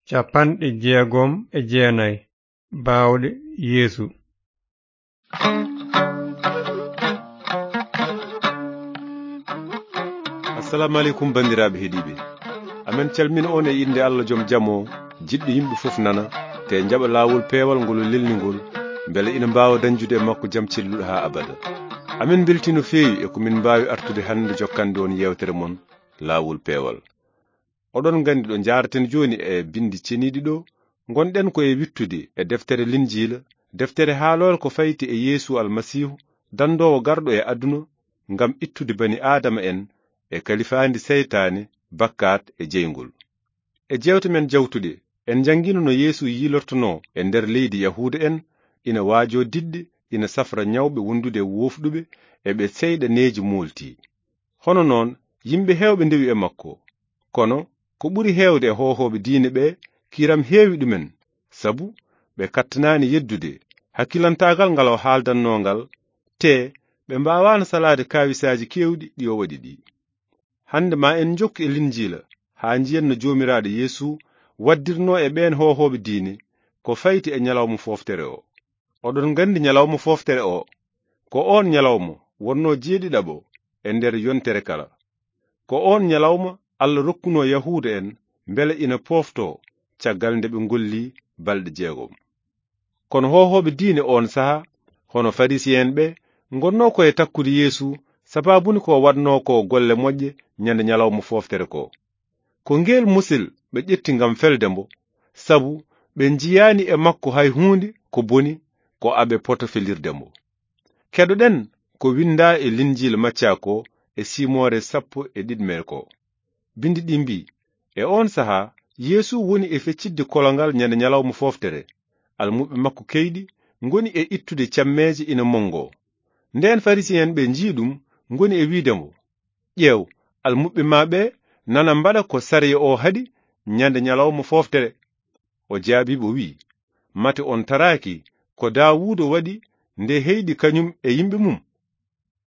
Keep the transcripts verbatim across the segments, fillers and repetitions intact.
Capanɗe jeegom e jeenayi. Baawɗe Yeesu. Assalamu aleykum, banndiraaɓe heɗiiɓe. Amen calmina on e innde Allah joom jam o, jiɗɗo yimɓe fof nana, te njaɓa laawol peewal ngol o lelni ngol, mbele ina mbaawa dañjude e makko jam celluɗo haa abada. Amen mbeltii no feewi e ko min mbaawi artude hannde jokkande on yeewtere mon, Laawol Peewal. Oɗon nganndi ɗo njaaraten jooni e binndi ceniiɗi ɗo, ngonɗen ko e wittude e deftere Linjiila, deftere haaloore ko fayti e Yeesu Almasiihu, danndoowo garɗo e aduna ngam ittude bani Aadama en e kalifaandi seytaane, bakkaat e jeyngol. E jeewte men jawtuɗe, en njanngiino no Yeesu yiilortonoo e nder leydi Yahuuda en, ina waajoo diɗɗe, ina safra ñawɓe wondude e woofɗuɓe, e ɓe seyɗaneeji moolti. Hono noon, yimɓe heewɓe ndewi e makko. Kono, ko ɓuri heewde e hoohooɓe diine ɓe, kiram heewi ɗumen, sabu ɓe kattanaani yeddude hakkilantaagal ngal o haaldanno ngal, te ɓe mbaawaano salaade kaawisaaji keewɗi ɗi o waɗi ɗi. Hannde ma en njokku e Linjiila, haa njiyen no Joomiraaɗo Yeesu waddirnoo e ɓeen hoohooɓe diine ko fayti e ñalawma fooftere o. Oɗon nganndi ñalawma fooftere o, ko oon ñalawma wonnoo jeeɗiɗaɓo e nder yontere kala. Ko oon ñalawma Allah rokkunoo Yahuuda en mbele ina pooftoo caggal nde ɓe ngolli balɗe jeegom. Kono hoohooɓe diine oon sahaa, hono Farisiyen ɓe, ngonnoo ko e takkude Yeesu, sabaabu ni ko waɗnoo ko golle moƴƴe ñande ñalawma fooftere ko. Ko ngeel musel ɓe ƴetti ngam felde mbo, sabu ɓe njiyaani e makko hay huunde ko boni ko aɓe poto felirde mbo. Keɗoɗen ko winndaa e Linjiila Macca ko e siimoore sappo e ɗiɗmere ko. Binndi ɗi mbii, e oon sahaa, Yeesu woni e feccitde kolongal ñande ñalawma fooftere, almuɓɓe makko keyɗi ngoni e ittude cammeeje ina monngoo. Ndeen Farisiyen ɓe njii ɗum, ngoni e wiide mbo, ƴeew, almuɓɓe ma ɓe nana mbaɗa ko sariya o haɗi ñande ñalawma fooftere. O jaabii ɓe o wi'i, mate on taraaki ko Daawuuda waɗi nde heyɗi kañum e yimɓe mum?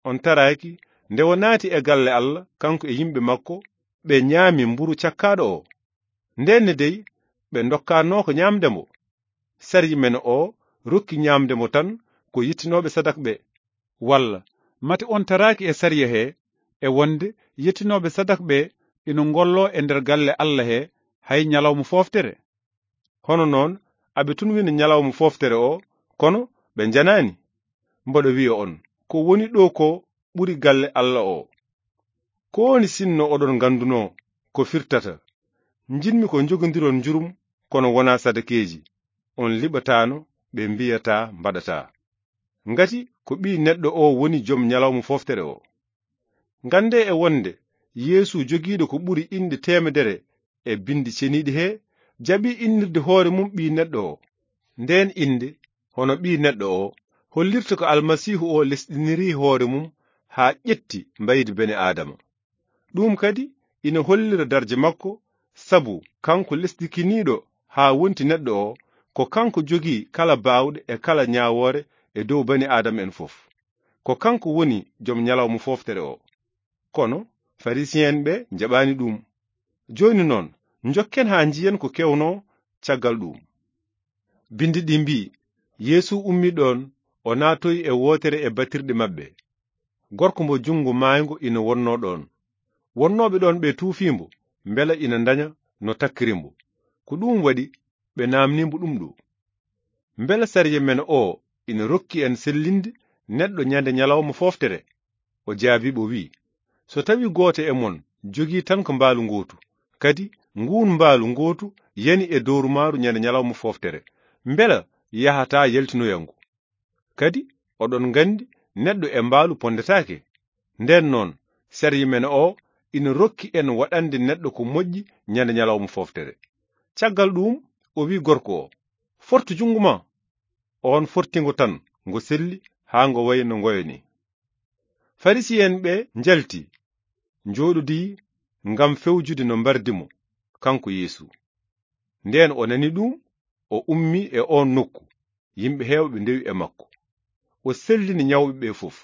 On taraaki nde o naati e galle Allah, kanko e yimɓe makko, ɓe ñaami mburu cakkaaɗo o? Ndeen ne dey, ɓe ndokkaanoo ko ñaamde mbo. Sariya men o rokki ñaamde mbo tan ko yettinooɓe sadak ɓe. Walla, mate on taraaki e sariya he, e wonde yettinooɓe sadak ɓe ina ngolloo e nder galle Allah he hay ñalawma fooftere? Hono noon, aɓe tun wina ñalawma fooftere o, kono ɓe njanaani. Mboɗo wiya on, ko woni ɗo ko ɓuri galle Allah o. Ko woni sinno oɗon nganndunoo ko firtata, njiɗmi ko njogondiron njurum, kono wonaa sadakeeji, on liɓataano, ɓe mbiyataa, mbaɗataa. Ngati ko Ɓii Neɗɗo o woni jom ñalawma fooftere o. Nganndee e wonde Yeesu jogiiɗo ko ɓuri inɗe teemedere e binndi ceniiɗi he, jaɓii innirde hoore mum Ɓii Neɗɗo o. Ndeen innde, hono Ɓii Neɗɗo o, hollirta ko Almasiihu o lesɗinirii hoore mum haa ƴetti mbaydi bene Aadama. Ɗum kadi ina hollira darja makko, sabu kanko lesdikiniiɗo haa wonti neɗɗo o, ko kanko jogii kala baawɗe e kala ñaawoore e dow bani Aadama en fof. Ko kanko woni jom ñalawma fooftere o. Kono Farisiyen ɓe njaɓaani ɗum. Jooni noon, njokken haa njiyen ko kewnoo caggal ɗum. Binndi ɗi mbii, Yeesu ummii ɗoon, o naatoyi e wootere e batirɗe maɓɓe. Gorko mbo junngo maayngo ina wonnoo ɗoon. Wonnooɓe ɗoon ɓe tuufii mbo, mbela ina ndaña no takkiri mbo. Ko ɗum waɗi ɓe naamnii mbo ɗum ɗo. Mbela sariya men o ina rokki en sellinde neɗɗo ñande ñalawma fooftere? O jaabii ɓe o wi'i, so tawii gooto e mon jogii tan ko mbaalu ngootu, kadi nguun mbaalu ngootu yani e dowrumaaru ñande ñalawma fooftere, mbela yahataa yaltinoya ngu? Kadi oɗon nganndi neɗɗo e mbaalu ponndetaake. Ndeen noon, sariya men o ina rokki en waɗande neɗɗo ko moƴƴi ñande ñalawma fooftere. Caggal ɗuum, o wi'i gorko o, fortu junngo ma. Oon forti ngo tan, ngo selli haa ngo wayi no ngoyo ni. Farisiyen ɓe njalti, njooɗodii ngam fewjude no mbardi mo, kanko Yeesu. Ndeen o nani ɗum, o ummii e oon nokku, yimɓe heewɓe ndewi e makko. O sellini ñawɓe ɓe fof.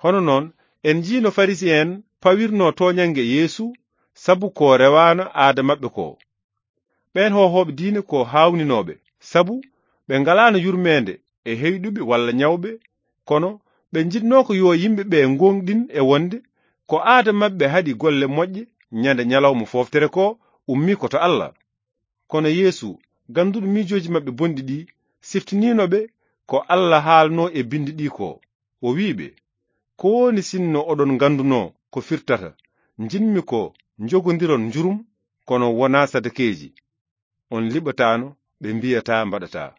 Hono noon, en njii no Farisiyen pawirnoo tooñannge Yeesu sabu ko rewaano aada maɓɓe ko. Ɓeen hoohooɓe diine ko haawninooɓe, sabu ɓe ngalaano yurmeende e heyɗuɓe walla ñawɓe, kono ɓe njiɗnoo ko yo yimɓe ɓe ngooŋɗin e wonde ko aada maɓɓe haɗi golle moƴƴe ñande ñalawma fooftere ko ummii ko to Alla. Kono Yeesu, gannduɗo miijooji maɓɓe bonɗi ɗi, siftiniino ɓe ko Alla haalnoo e binndi ɗi ko. O wi'i ɓe, "Ko woni sinno oɗon nganndunoo ko firtata, njiɗmi ko njogondiron njurum, kono wonaa sadakeeji? On liɓataano, ɓe mbiyataa mbaɗataa.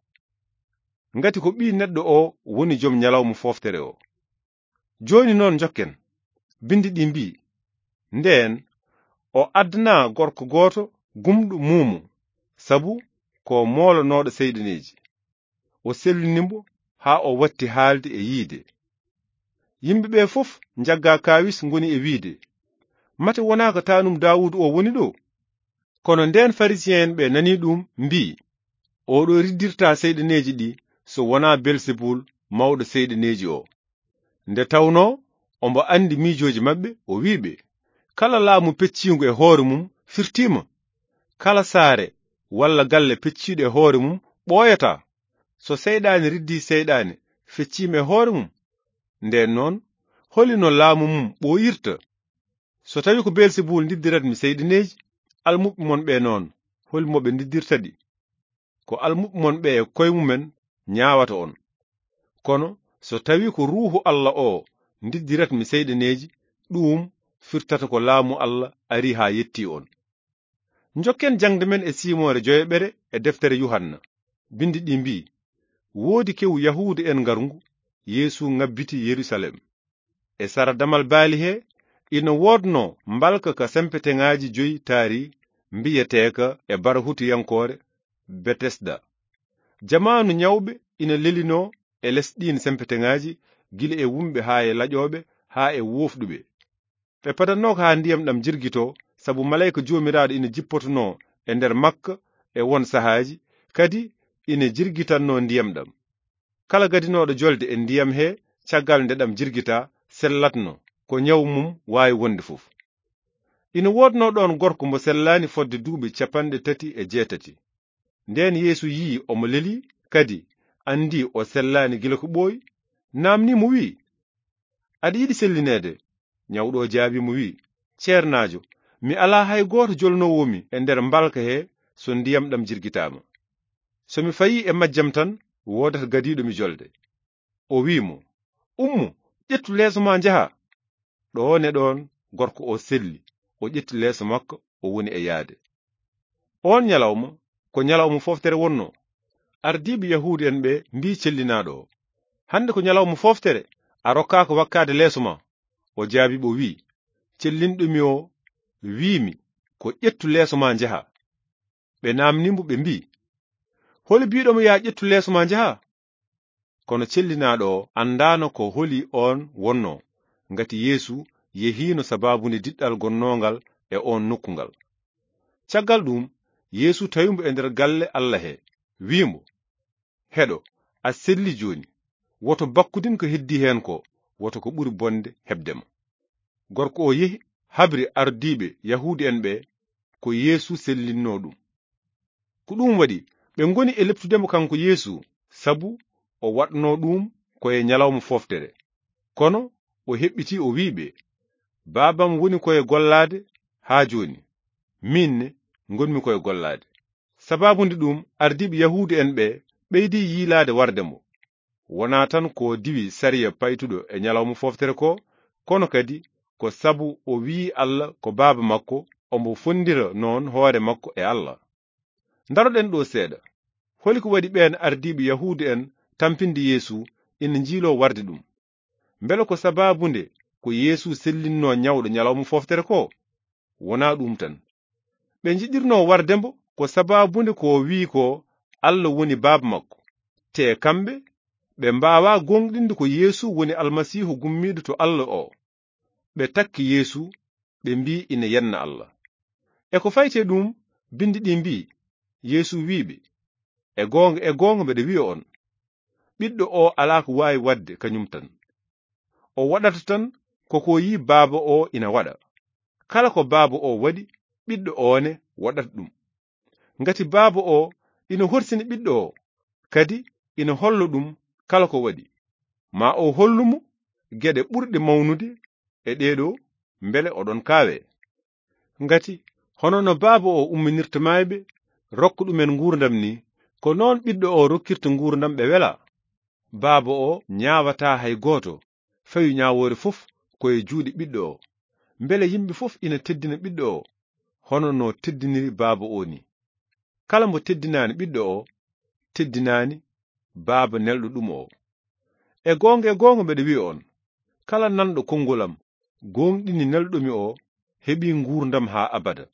Ngati ko Ɓii Neɗɗo o woni jom ñalawma fooftere o." Jooni noon njokken. Binndi ɗi mbii, "Ndeen o addanaa gorko gooto gumɗo muumo, sabu ko moolonooɗo seyɗaneeji. O sellini mbo haa o watti haalde e yiide." Yimɓe ɓe fof njaggaa kaawis ngoni e wiide, "Mate wonaa ko taanum Daawuuda o woni ɗo?" Kono ndeen Farisiye'en ɓe nanii ɗum mbii, "Oɗo riddirtaa seyɗaneeji ɗi so wonaa Belsebul mawɗo seyɗaneeji o." Nde tawnoo omo anndi miijooji maɓɓe, o wi'i ɓe, "Kala laamu pecciingu e hoore mum firtiima. Kala saare walla galle pecciiɗo e hoore mum ɓooyataa. So seyɗaani riddii seyɗaani fecciima e hoore mum, ndeen noon, holi no laamu mum ɓooyirta? So tawii ko Belsebul ndiddiratmi seyɗaneeji, almuɓɓe mon ɓe noon, holi mo ɓe ndiddirta ɗi? Ko almuɓɓe mon ɓe e koye mumen ñaawata on. Kono so tawii ko Ruuhu Alla o ndiddiratmi seyɗaneeji, ɗuum firtata ko laamu Alla arii haa yettii on." Njokken jaŋde men e siimoore joyaɓere e deftere Yuhanna. Binndi ɗi mbii, "Woodi kewu Yahuudu'en ngarngu, Yeesu ŋabbiti Yerusalem. E sara damal baali he, ina woodnoo mbalka ka sempeteŋaaji joyi taari, mbiyeteeka e bara hutuyankoore Betesda. Jamaanu ñawɓe ina lelinoo e les ɗiin sempeteŋaaji, gila e wumɓe haa e laƴooɓe, haa e woofɗuɓe. Ɓe padatnoo ko haa ndiyam ɗam jirgitoo, sabu maleyka Joomiraaɗo ina jippotonoo e nder makka e won sahaaji, kadi ina jirgitannoo ndiyam ɗam. Kala gadinooɗo jolde e ndiyam he caggal nde ɗam jirgitaa, sellatno ko ñawu mum waawi wonde fof. Ina woodnoo ɗoon gorko mbo sellaani fodde duuɓi capanɗe tati e jeetati. Ndeen Yeesu yii omo lelii, kadi anndi o sellaani gila ko ɓooyi, naamnii mo, wi'i, 'Aɗa yiɗi sellineede?' Ñawɗo o jaabii mo, wi'i, 'Ceernaajo, mi alaa hay gooto jolnoowo mi e nder mbalka he so ndiyam ɗam jirgitaama. So mi fayii e majjam tan, woodata gadiiɗo mi jolde.' O wi'i mo, 'Ummo, ƴettu leeso ma njaha.' Ɗoon e ɗoon gorko o selli, o ƴetti leeso makko, o woni e yahde. Oon ñalawma, ko ñalawma fooftere wonnoo. Ardiiɓe Yahuudu'en ɓe mbii cellinaaɗo o, 'Hannde ko ñalawma fooftere, a rokkaaka wakkaade leeso ma?' O jaabii ɓe, o wi'i, 'Cellinɗo mi o wi'i mi ko ƴettu leeso ma njaha.' Ɓe naamnii mo, ɓe mbii, 'Holi biiɗo mo, 'Yaa ƴettu leeso ma njaha?' Kono cellinaaɗo o anndaano ko holi oon wonnoo, ngati Yeesu yehiino sabaabunde diɗɗal gonnoongal e oon nokku ngal. Caggal ɗuum, Yeesu tawi mo e nder galle Alla he, wi'i mo, 'Heɗo, a selli jooni. Woto bakkudin ko heddii heen ko, woto ko ɓuri bonde heɓde ma.' Gorko o yehi, habri ardiiɓe Yahuudu'en ɓe ko Yeesu sellinnoo ɗum. Ko ɗum waɗi ɓe ngoni e leptude mo kanko Yeesu, sabu o waɗnoo ɗum ko e ñalawma fooftere. Kono o heɓɓitii, o wi'i ɓe, "Baabam woni ko e gollaade haa jooni, miin ne ngonmi ko e gollaade." Sabaabu nde ɗum, ardiiɓe Yahuudu'en ɓe ɓeydi yiilaade warde mo. Wonaa tan ko diwi sariya paytuɗo e ñalawma fooftere ko, kono kadi ko sabu o wi'i Alla ko Baaba makko, omo fonndira noon hoore makko e Alla. Ndaroɗen ɗo seeɗa. Holi ko waɗi ɓeen ardiiɓe Yahuudu'en tampinde Yeesu ina njiiloo warde ɗum? Mbele ko sabaabu nde ko Yeesu sellinnoo ñawɗo ñalawma fooftere ko? Wonaa ɗum tan. Ɓe njiɗirnoo warde mbo ko sabaabu nde ko o wi'i ko Alla woni Baaba makko. Te kamɓe, ɓe mbaawaa gooŋɗinde ko Yeesu woni Almasiihu gummiiɗo to Alla o. Ɓe takki Yeesu, ɓe mbii ina yenna Alla. E ko fayti e ɗum, binndi ɗi mbii, Yeesu wii ɓe, "E goonga, e goonga mbeɗa wiya on, ɓiɗɗo o alaa ko waawi waɗde kañum tan. O waɗata tan ko ko yii Baaba o ina waɗa. Kala ko Baaba o waɗi, ɓiɗɗo o ne waɗata ɗum. Ngati Baaba o ina horsini Ɓiɗɗo o, kadi ina holla ɗum kala ko waɗi. Ma o hollu mo geɗe ɓurɗe mawnude e ɗee ɗoo, mbele oɗon kaawee. Ngati hono no Baaba o umminirta maayɓe, rokka ɗumen nguurndam ni, ko noon Ɓiɗɗo o rokkirta nguurndam ɓe welaa. Baaba o ñaawataa hay gooto, fawi ñaawoore fof ko e juuɗe Ɓiɗɗo o, mbele yimɓe fof ina teddina Ɓiɗɗo o, hono no teddiniri Baaba o ni. Kala mbo teddinaani Ɓiɗɗo o, teddinaani Baaba nelɗo ɗum o. E goonga, e goonga, mbeɗa wiya on, kala nanɗo konngol am, gooŋɗini nelɗo mi o, heɓi nguurndam haa abada.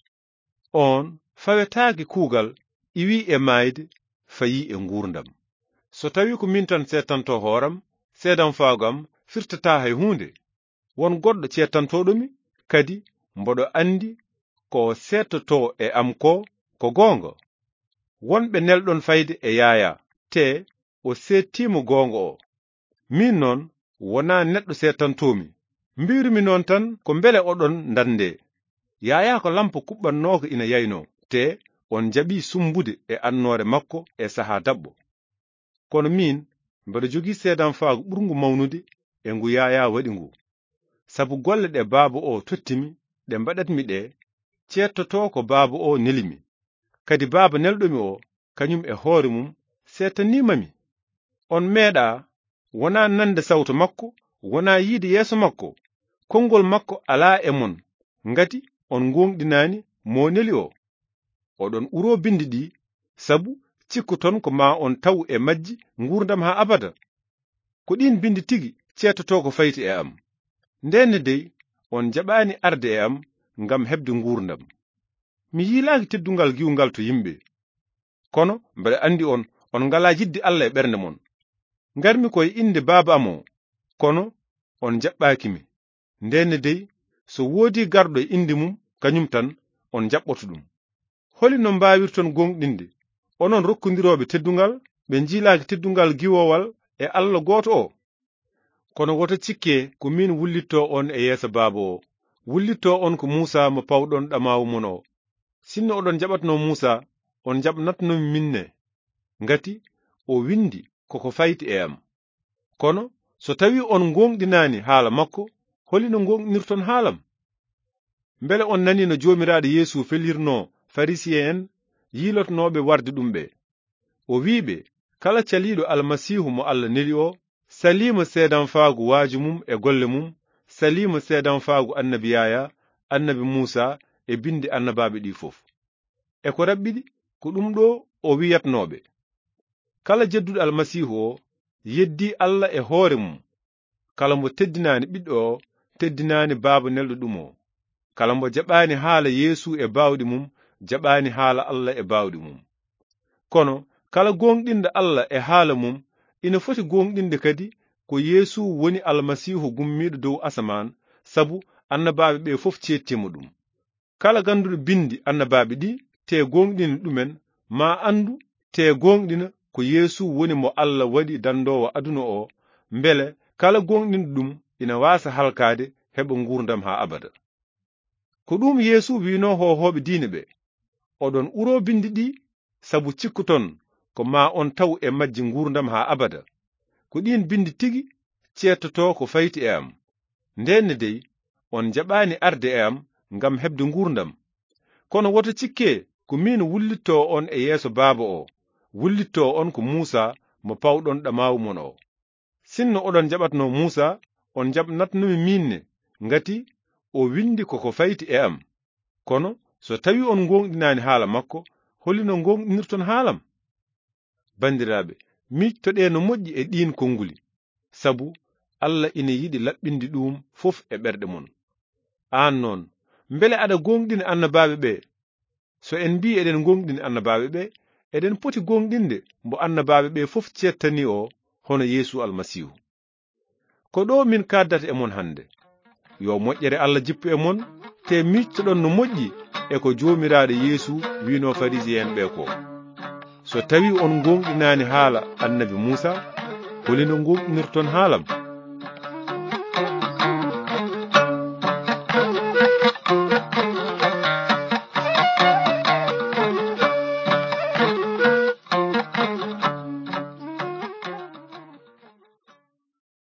On fawetaake kuugal, iwi e maayde, fayi e nguurndam. So tawi ko min tan seetanto hooram, seedanfaagu am firtataa hay huunde. Won goɗɗo ceetantooɗo mi, kadi mboɗo anndi ko seetotoo e am ko, ko goonga. Won ɓe nelɗon fayde e Yaayaa, te o seettiima goonga o. Min noon, wonaa neɗɗo seetantoomi. Mbiirumi noon tan ko mbele oɗon ndanndee. Yaayaa ko lampa kuɓɓannooka ina yaynoo, te on njaɓii summbude e annoore makko e sahaa daɓɓo. Kono miin, mbeɗa jogii seedanfaagu ɓurngu mawnude e ngu Yaayaa waɗi ngu. Sabu golle ɗe Baaba o totti mi, ɗe mbaɗat mi ɗe, ceettotoo ko Baaba o neli mi. Kadi Baaba nelɗo mi o, kañum e hoore mum, seetaniima mi. On meeɗaa, wonaa nande sawto makko, wonaa yiide yeeso makko. Konngol makko alaa e mon, ngati on ngooŋɗinaani mo neli o. Oɗon uroo binndi ɗi, sabu cikkuton ko ma on taw e majji nguurndam haa abada. Ko ɗiin binndi tigi ceettotoo ko fayti e am. Ndenne dey, on njaɓaani arde e am ngam heɓde nguurndam. Mi yiilaaki teddungal giwngal to yimɓe. Kono mbeɗa anndi on, on ngalaa yiɗde Allah e ɓernde mon. Ngarmi ko e innde Baaba am o, kono on njaɓɓaaki mi. Ndenne dey, so woodii garɗo e innde mum, kañum tan on njaɓɓoto ɗum. Holi no mbaawirton gooŋɗinde, onon rokkondirooɓe teddungal, ɓe njiilaaki teddungal giwowal e Allah gooto o? Kono woto cikke ko miin wullitto on e yeeso Baaba o. Wullitto on ko Muusaa mo pawɗon ɗamaawu mon o. Sinno oɗon njaɓatno Muusaa, on njaɓnatno mi minne, ngati o winndi koko fayti e am. Kono so tawi on ngooŋɗinaani haala makko, holi no ngooŋɗinirton haalam? Mbele on nanii no Joomiraaɗo Yeesu felirnoo Farisiye'en yiilotnooɓe warde ɗum ɓe? O wi'i ɓe, kala caliiɗo Almasiihu mo Allah neli o, saliima seedanfaagu waaju mum e golle mum, saliima seedanfaagu annabi Yaayaa, annabi Muusaa e binndi annabaaɓe ɗi fof. E ko raɓɓiɗi ko ɗum ɗo o wi'atnooɓe. Kala jedduɗo Almasiihu o, yeddii Allah e hoore mum. Kala mbo teddinaani Ɓiɗɗo o, teddinaani Baaba nelɗo ɗum o. Kala mbo jaɓaani haala Yeesu e baawɗe mum, jaɓaani haala Allah e baawɗe mum. Kono kala gooŋɗinɗo Allah e haala mum, ina foti gooŋɗinde kadi ko Yeesu woni Almasiihu gummiiɗo dow asamaan, sabu annabaaɓe ɓe fof ceettiima ɗum. Kala gannduɗo binndi annabaaɓe ɗi, te gooŋɗini ɗumen, ma anndu, te gooŋɗina ko Yeesu woni mo Allah waɗi danndoowo aduna o, mbele kala gooŋɗinɗo ɗum ina waasa halkaade, heɓa nguurndam haa abada. Ko ɗum Yeesu wi'noo hoohooɓe diine ɓe, oɗon uroo binndi ɗi, sabu cikkuton ko ma on taw e majji nguurndam haa abada. Ko ɗiin binndi tigi ceettotoo ko fayti e am. Ndenne dey, on njaɓaani arde e am ngam heɓde nguurndam. Kono woto cikke ko miin wullitto on e yeeso Baaba o, wullitto on ko Muusaa mo pawɗon ɗamaawu mon o. Sinno oɗon njaɓatno Muusaa, on njaɓnatno mi miin ne, ngati o winndi koko fayti e am. Kono so tawi on ngooŋɗinaani haala makko, holi no ngooŋɗinirton haalam? Banndiraaɓe, miijtoɗee no moƴƴi e ɗiin konnguli, sabu Allah ina yiɗi laɓɓinde ɗum fof e ɓerɗe mon. Aan noon, mbele aɗa gooŋɗina annabaaɓe ɓe? So en mbii eɗen ngooŋɗini annabaaɓe ɓe, eɗen poti gooŋɗinde mbo annabaaɓe ɓe fof ceettani o, hono Yeesu Almasiihu. Ko ɗo min kaaddata e mon hannde. Yo moƴƴere Allah jippu e mon, te miijtoɗon no moƴƴi e ko Joomiraaɗo Yeesu wi'noo Farisiye'en ɓe ko. So tawi on ngooŋɗinaani haala annabi Muusaa, holi no ngooŋɗinirton haalam?